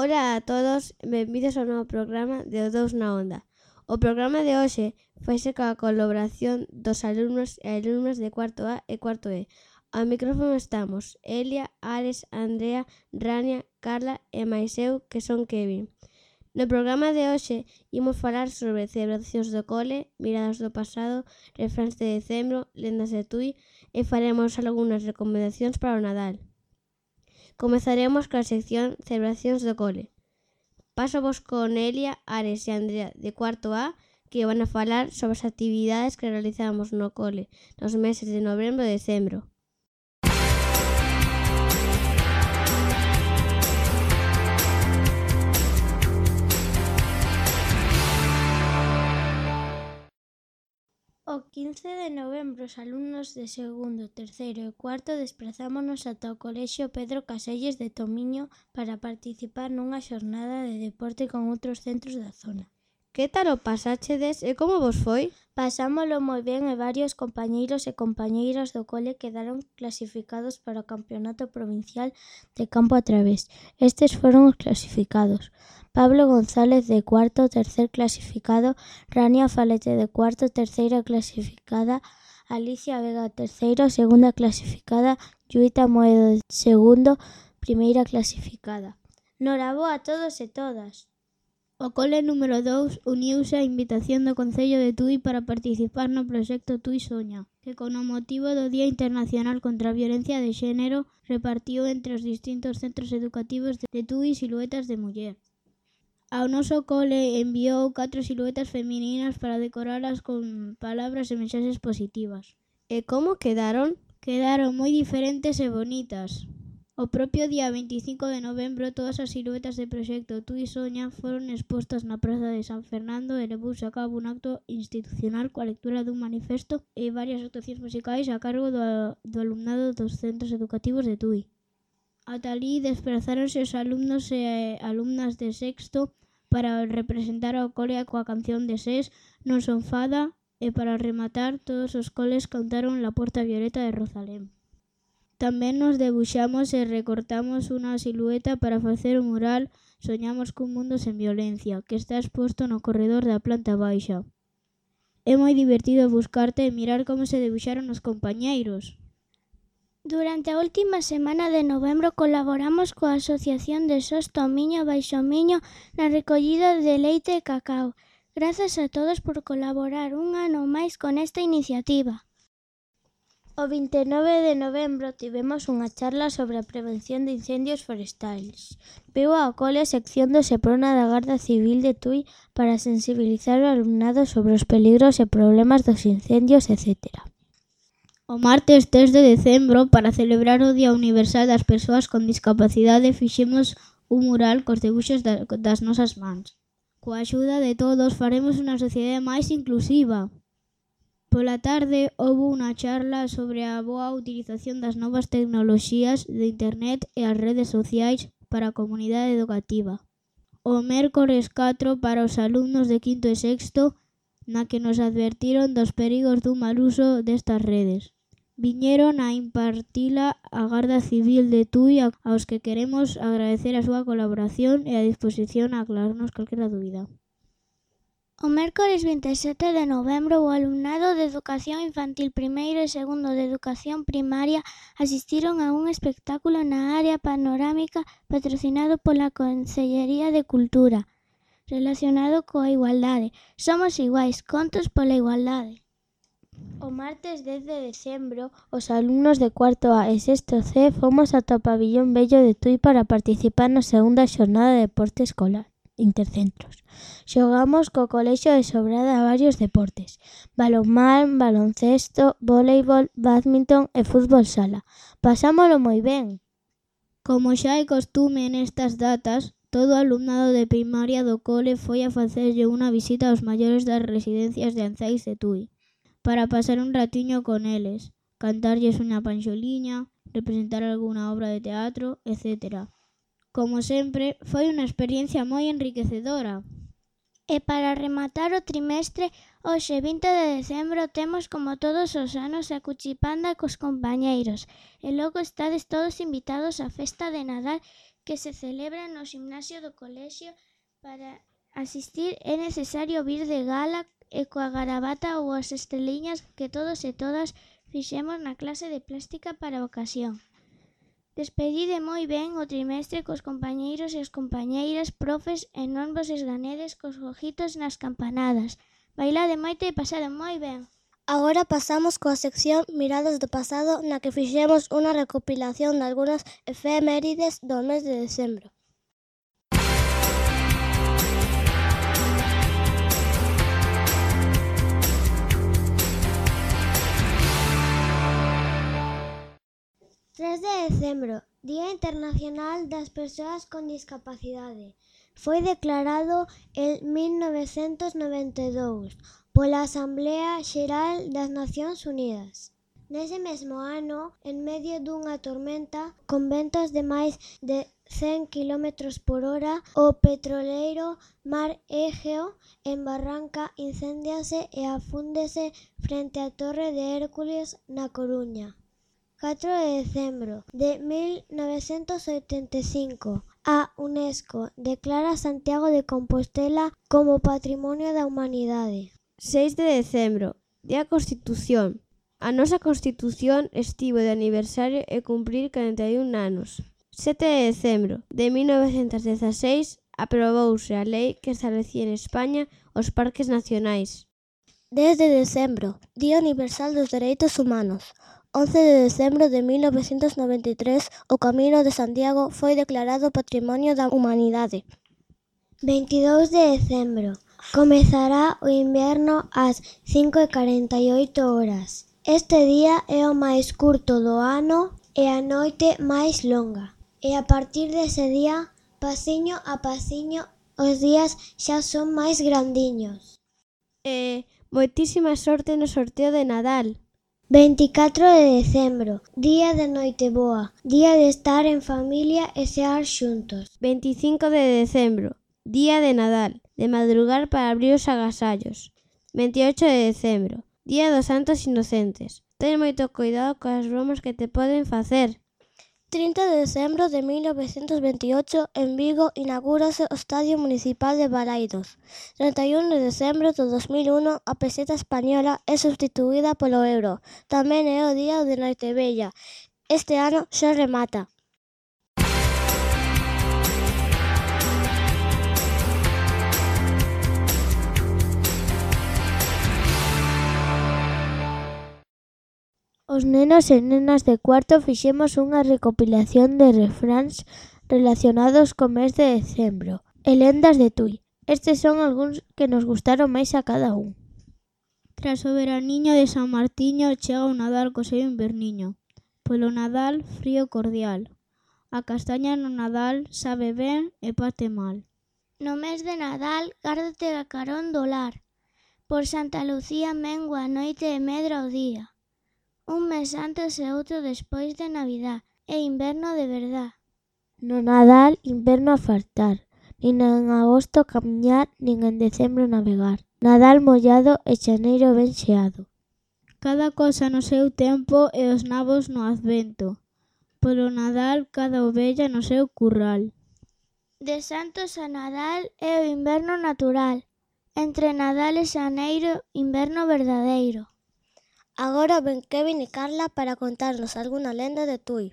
Ola a todos, benvidos ao novo programa de O Dous na Onda. O programa de hoxe faise coa colaboración dos alumnos e alumnas de cuarto A e cuarto E. Ao micrófono estamos Elia, Ares, Andrea, Rania, Carla e máis eu, que son Kevin. No programa de hoxe imos falar sobre celebracións do cole, miradas do pasado, refráns de decembro, lendas de Tui e faremos algunhas recomendacións para o Nadal. Comezaremos coa sección celebracións do cole. Paso vos con Elia, Ares e Andrea de cuarto A que van a falar sobre as actividades que realizamos no cole nos meses de novembro e decembro. O 15 de novembro, os alumnos de segundo, terceiro e cuarto desprazámonos ata o colexio Pedro Caselles de Tomiño para participar nunha xornada de deporte con outros centros da zona. Que tal o pasáchedes e como vos foi? Pasámolo moi ben e varios compañeiros e compañeiras do cole quedaron clasificados para o Campeonato Provincial de Campo a Través. Estes foron os clasificados: Pablo González de cuarto, tercer clasificado; Rania Falete de cuarto, terceira clasificada; Alicia Vega terceiro, segunda clasificada; Lluita Moedo segundo, primeira clasificada. Norabo a todos e todas! O cole número 2 uniuse á invitación do Concello de Tui para participar no proxecto Tui Soña, que con o motivo do Día Internacional contra a Violencia de Xénero repartiu entre os distintos centros educativos de Tui siluetas de muller. Ao noso cole enviou 4 siluetas femininas para decoralas con palabras e mensaxes positivas. E como quedaron? Quedaron moi diferentes e bonitas. O propio día 25 de novembro todas as siluetas de proxecto Tui Soña foron expostas na Praza de San Fernando e levouse a cabo un acto institucional coa lectura dun manifesto e varias actuacións musicais a cargo do alumnado dos centros educativos de Tui. Ata alí desprazáronse os alumnos e alumnas de sexto para representar ao cole coa canción de SES, Non son fada, e para rematar todos os coles cantaron La Porta Violeta de Rosalén. Tamén nos debuxamos e recortamos unha silueta para facer un mural Soñamos cun mundo sen violencia, que está exposto no corredor da planta baixa. É moi divertido buscarte e mirar como se debuxaron os compañeiros. Durante a última semana de novembro colaboramos coa Asociación de Sós Tomiño Baixo Miño na recollida de leite e cacao. Grazas a todos por colaborar un ano máis con esta iniciativa. O 29 de novembro tivemos unha charla sobre a prevención de incendios forestais. Veu ao cole a sección do Seprona da Garda Civil de Tui para sensibilizar o alumnado sobre os peligros e problemas dos incendios, etc. O martes 3 de decembro, para celebrar o Día Universal das Persoas con Discapacidade, fixemos un mural cos debuxos das nosas mans. Coa axuda de todos faremos unha sociedade máis inclusiva. Pola tarde houbo unha charla sobre a boa utilización das novas tecnoloxías de internet e as redes sociais para a comunidade educativa. O mércores 4 para os alumnos de quinto e sexto, na que nos advertiron dos perigos dun mal uso destas redes. Viñeron a impartila a Garda Civil de Tui, aos que queremos agradecer a súa colaboración e a disposición a aclararnos calquera dúbida. O mércores 27 de novembro, o alumnado de Educación Infantil primeiro e segundo de Educación Primaria asistiron a un espectáculo na área panorámica patrocinado pola Consellería de Cultura, relacionado coa igualdade. Somos iguais, contos pola igualdade. O martes 10 de decembro, os alumnos de cuarto A e sexto C fomos ata o pabillón vello de Tui para participar na segunda xornada de deporte escolar intercentros. Xogamos co colexio de Sobrada a varios deportes: balonmán, baloncesto, voleibol, bádminton e fútbol sala. Pasámolo moi ben. Como xa é costume nestas datas, todo o alumnado de primaria do cole foi a facerlle unha visita aos maiores das residencias de anciais de Tui, para pasar un ratiño con eles, cantarlles unha panxoliña, representar algunha obra de teatro, etc. Como sempre, foi unha experiencia moi enriquecedora. E para rematar o trimestre, hoxe 20 de decembro temos como todos os anos a cuchipanda cos compañeiros e logo estades todos invitados á festa de Nadal que se celebra no gimnasio do colexio. Para asistir é necesario vir de gala e coa garabata ou as estreliñas que todos e todas fixemos na clase de plástica para a ocasión. Despedide moi ben o trimestre cos compañeiros e as compañeiras, profes, e non vos esganedes cos ojitos nas campanadas. Bailade moito e pasade moi ben. Agora pasamos coa sección Miradas do pasado, na que fixemos unha recopilación de algunhas efemérides do mes de decembro. ...3 de decembro, Día Internacional das Persoas con Discapacidade. Foi declarado en 1992 pola Asamblea Xeral das Nacións Unidas. Nese mesmo ano, en medio dunha tormenta con ventos de máis de 100 km por hora, o petroleiro Mar Egeo en Barranca incéndiase e afúndese frente á Torre de Hércules na Coruña. 4 de decembro de 1985, a UNESCO declara Santiago de Compostela como Patrimonio da Humanidade. 6 de decembro, Día Constitución. A nosa Constitución estivo de aniversario e cumprir 41 anos. 7 de decembro de 1916 aprobouse a lei que establecía en España os parques nacionais. 10 de decembro, Día Universal dos Dereitos Humanos. 11 de decembro de 1993, o Camino de Santiago foi declarado Patrimonio da Humanidade. 22 de decembro, comezará o inverno ás 5:48. Este día é o máis curto do ano e a noite máis longa. E a partir dese día, pasiño a pasiño, os días xa son máis grandiños. Moitísima sorte no sorteo de Nadal. 24 de decembro, Día de Noiteboa, día de estar en familia e cear xuntos. 25 de decembro, Día de Nadal, de madrugar para abrir os agasallos. 28 de decembro, Día dos Santos Inocentes. Ten moito cuidado coas bromas que te poden facer. 30 de decembro de 1928, en Vigo, inaugúrase o Estadio Municipal de Balaidos. 31 de decembro de 2001, a peseta española é substituída polo euro. Tamén é o Día de Noitevella. Este ano xa remata. Os nenos e nenas de cuarto fixemos unha recopilación de refráns relacionados co mes de decembro e lendas de Tui. Estes son algúns que nos gustaron máis a cada un. Tras o veraniño de San Martiño chega o Nadal co seu inverniño. Polo Nadal, frío cordial. A castaña no Nadal sabe ben e parte mal. No mes de Nadal, gárdate a carón do lar. Por Santa Lucía mengua a noite e medra o día. Un mes antes e outro despois de Navidad, é inverno de verdad. No Nadal, inverno a fartar. Nin en agosto camiñar, nin en decembro navegar. Nadal mollado e xaneiro ben xeado. Cada cosa no seu tempo e os nabos no advento. Polo Nadal, cada ovella no seu curral. De Santos a Nadal é o inverno natural. Entre Nadal e xaneiro, inverno verdadeiro. Agora ven Kevin e Carla para contarnos algunha lenda de Tui.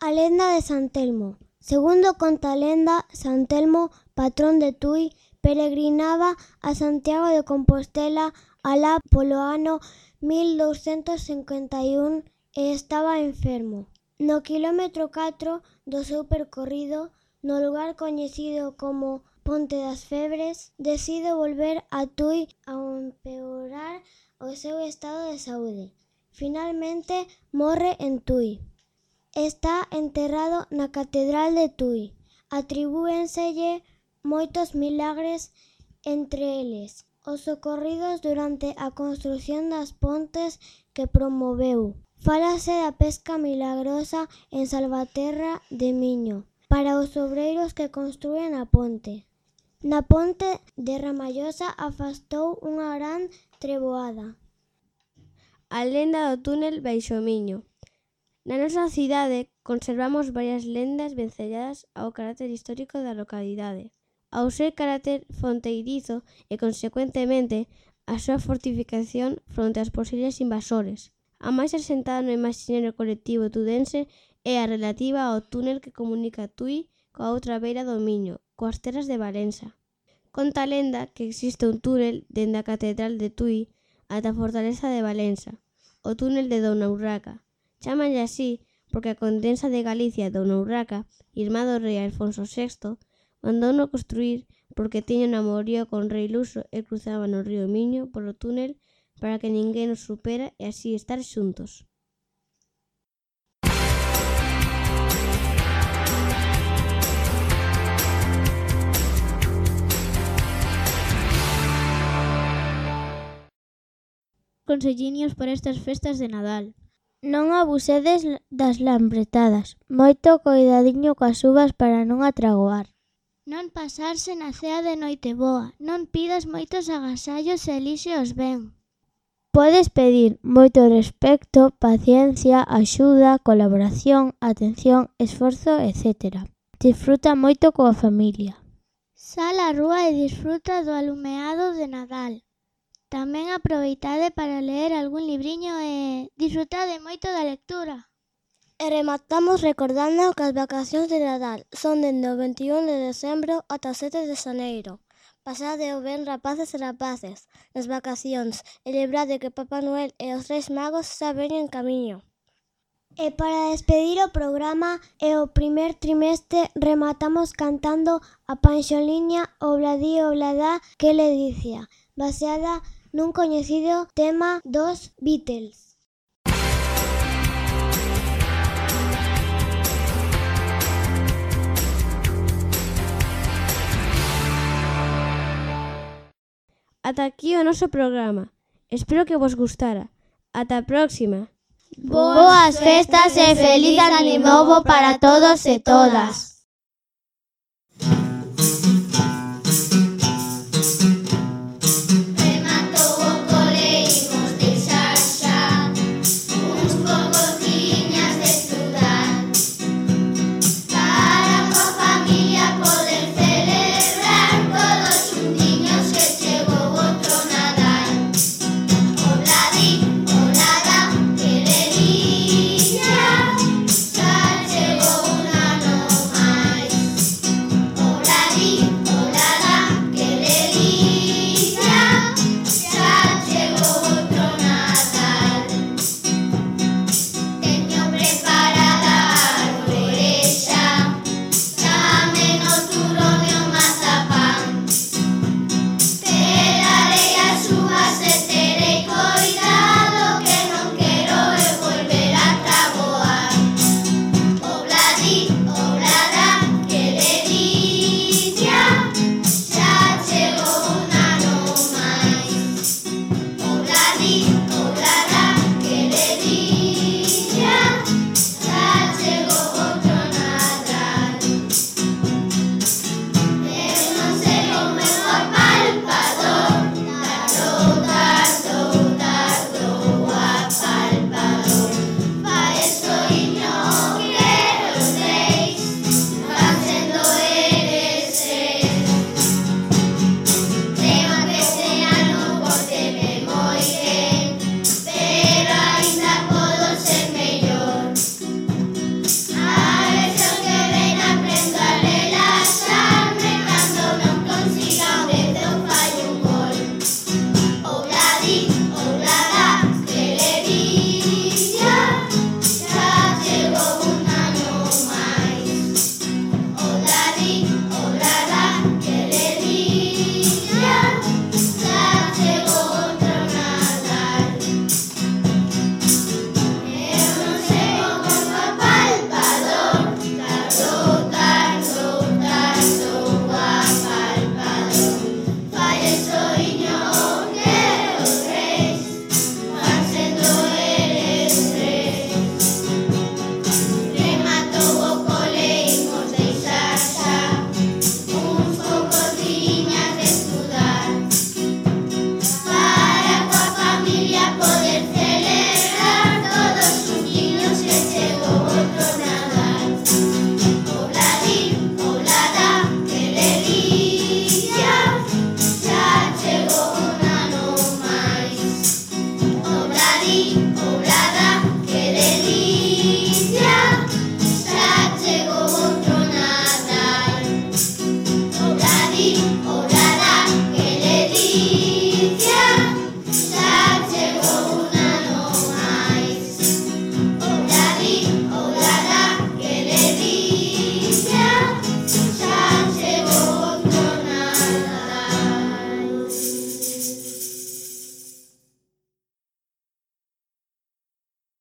A lenda de San Telmo. Segundo conta a lenda, San Telmo, patrón de Tui, peregrinaba a Santiago de Compostela alá polo ano 1251 e estaba enfermo. No quilómetro 4 do seu percorrido, no lugar coñecido como Ponte das Febres, decide volver a Tui ao empeorar o seu estado de saúde. Finalmente, morre en Tui. Está enterrado na Catedral de Tui. Atribúenselle moitos milagres, entre eles os socorridos durante a construción das pontes que promoveu. Fálase da pesca milagrosa en Salvaterra de Miño para os obreiros que construen a ponte. Na ponte de Ramallosa afastou unha gran treboada. A lenda do túnel baixo o Miño. Na nosa cidade conservamos varias lendas vencelladas ao carácter histórico da localidade. Ao ser carácter fronteirizo e, consecuentemente, a súa fortificación fronte aos posibles invasores. A máis asentada no imaxinario colectivo tudense é a relativa ao túnel que comunica Tui coa outra beira do Miño, coas terras de Valensa. Conta a lenda que existe un túnel dende a Catedral de Tui ata a Fortaleza de Valensa, o túnel de Dona Urraca. Chámanlle así porque a condensa de Galicia, Dona Urraca, irmá do rei Alfonso VI, mandouno construir porque tiña un amorío con rei luso e cruzaban o río Miño polo túnel para que ninguén os supera e así estar xuntos. Consellinios para estas festas de Nadal. Non abusedes das lambretadas. Moito coidadiño coas uvas para non atragoar. Non pasarse na cea de Noiteboa. Non pidas moitos agasallos e elíxeos ben. Podes pedir moito respecto, paciencia, axuda, colaboración, atención, esforzo, etc. Disfruta moito coa familia. Sal á rúa e disfruta do alumeado de Nadal. Tamén aproveitade para ler algún libriño e disfrutade moito da lectura. E rematamos recordando que as vacacións de Nadal son dende o 21 de decembro ata o 7 de xaneiro. Pasadeo ben, rapaces e rapaces, nas vacacións, e lembrade que Papá Noel e os Reis Magos xa veñen camiño. E para despedir o programa e o primer trimestre rematamos cantando a panxoliña Obladí Obladá que le dicía, baseada nun coñecido tema dos Beatles. Ata aquí o noso programa. Espero que vos gustara. Ata a próxima. Boas festas e feliz ano novo para todos e todas.